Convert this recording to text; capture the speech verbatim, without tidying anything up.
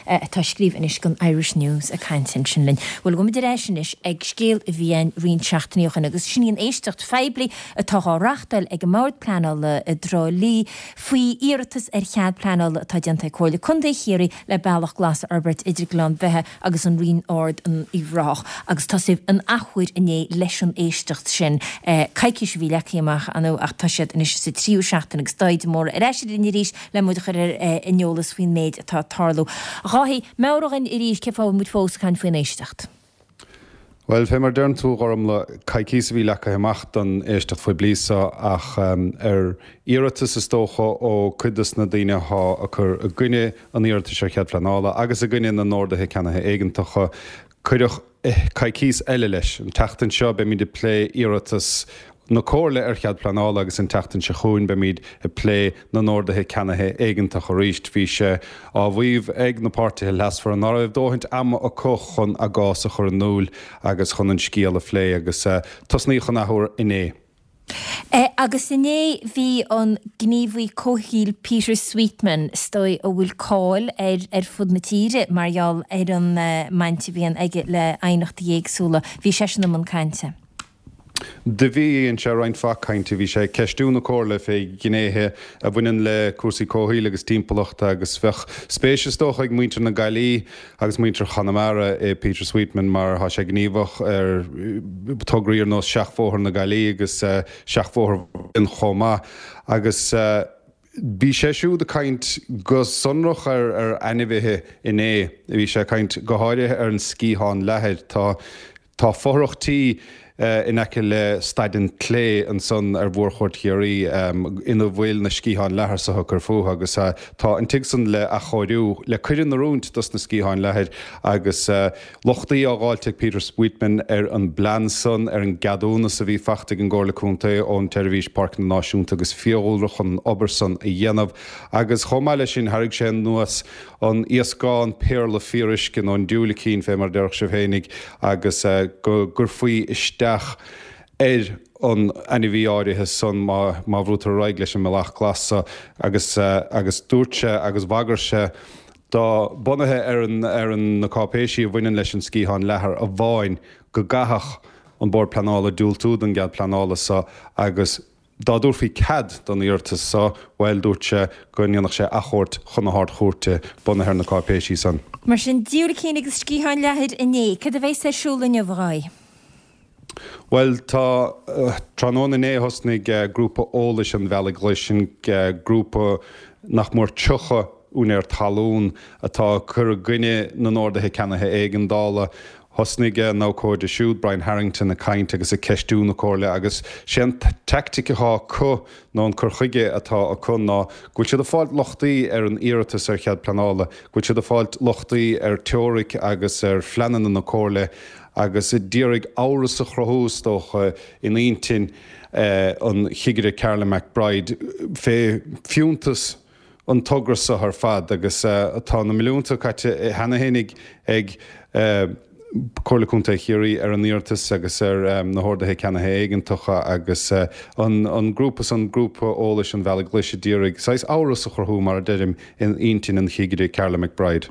atá ag scríobh anois don Irish News ag caint ansin linn. Bhuel gabhfaimid ar ais anois ag scéal a bhí ann roinnt seachtainí ó shin agus sin í an éisteacht phoiblí atá á reáchtáil ag an mBord Pleanála i dTrá Lí faoi iarratas ar chead pleanála atá déanta ag Comhairle Contae Chiarraí le bealach glas a fhorbairt idir Gleann Bheithe agus an Rinn Ard in Uíbh Ráthach agus tosaíodh an athuair inné leis an éisteacht sin. Coicís a bhí leagtha amach ann ach tá siad anois sa tríú seachtain agus Dáithí de Mórdha ar ais linn arís le muid a chur ar an eolas faoin méid atá ag tarlú. A Dháithí, meabhraigh dhúinn arís cén fáth a bhfuil muid fós ag caint faoin éisteacht. Bhuel, fé mar deireann tú Gormla, coicís a bhí leagtha amach don éisteacht phoiblí seo ach ar iarratas is dócha ó cuid dos na daoine atá ag cur i gcoinne an iarratais ar chead pleanála agus i gcoinne na n-orduithe ceannaithe éigeantacha, cuireadh coicís eile leis. An tseachtain seo beimid ag plé iarratas na Comhairle ar chead pleanála agus an tseachtain seo chugainn beimid ag plé na n-orduithe ceannaithe éigeantach arís. Bhí sé á mhaíomh ag na páirtithe leasmhara nach raibh dóthaint ama acu chun a gcás a chur in iúl agus chun an scéal a phlé agus tosnaíodh an athuair inné. Agus inné bhí an gníomhaí comhshaoil Peter Sweetman, is dóigh a bhfuil cáil air ar fud na tíre mar gheall ar an mbaint a bhíonn aige le aighneachtaí éagsúla, bhí seisean i mbun cainte. Do bhí, dhein sé roinnt mhaith cainte, bhí sé ag ceistiú na Comhairle fé ghnéithe a bhaineann le cúrsaí comhshaoil agus timpeallachta agus bheadh spéis is dócha ag muintir na Gaillimhe agus muintir Chonamara i Peter Sweetman mar tá sé gníomhach ar tograí ar nós Seachbhóthar na Gaillimhe agus Seachbhóthar chomh maith agus bhí sé siúd ag caint go sonrach ar ar ainmhithe inné. Bhí sé ag caint go háirithe ar an sciathán leathair. Tá Tá fothrach tí in aice le Staid an tSlé ansan ar Mhórchuaird Chiarraí ina bhfuil na sciatháin leathair so ag cur fúthu agus tá an tigh san le athchóiriú le cur in oiriúint dos na sciatháin leathair agus lochtaí á dháilt ag Peter Sweetman ar an bplean san, ar an gceadúnas a bhí faighte ag an gComhairle Contae ón tSeirbhís Páirceanna Náisiúnta agus Fiadhúlra chun an obair san a dhéanamh agus chomh maith leis sin tharraing sé anuas an iascán péarla fíoruisce nó an diúilicín fé mar a déarfadh sibh fhéinig agus go gcuirfí isteach ar an ainmhí áirithe san má má bhrúitear ar aghaidh leis an mbealach glas so agus agus dúirt sé agus bhagair sé dá bunaithe ar an ar an na cáipéisí a bhaineann leis an sciathán leathair amháin go gcaithfeadh an Bord Pleanála diúltú don gcead pleanála so agus Dá dtabharfaí cead don iarratas so, bhuel, dúirt sé go ndéanfadh sé achomharc chun na hArd-Chúirte, bunaithe ar na cáipéisí san. Mar sin, diúilicín agus sciatháin leathair inné. Cad a bheas ar siúl inniu, a Dháithí? Bhuel, tá. Tráthnóna inné thosnaigh grúpa eolais an Bhealaigh Ghlais, sin grúpa nach mór tríocha úinéir talún atá ag cur i gcoinne na n-orduithe ceannaithe éigeandála. Thosnaigh a n-abhcóide siúd, Brian Harrington, ag caint agus ag ceistiú na Comhairle agus sé an teaictic atá acu nó an cur chuige atá acu ná go bhfuil siad ag fáilt lochtaí ar an iarratas ar chead pleanála, go bhfuil siad ag fáilt lochtaí ar teoiric agus ar phleananna na Comhairle agus a d'iarraidh amhras a chruthú, is dócha, in intinn an Chigire Carla McBride fé fiúntas an togra seo ar fad agus tá na milliúnta caite cheana fhéinig ag Comhairle Contae Chiarraí ar an iarratas agus ar na horduithe ceannaithe éigeantacha agus an grúpa san, Grúpa Eolais an Bhealaigh Ghlais, a d'iarraidh saghas amhras a chruthú, mar a deirim, in intinn an Chigire Carla McBride.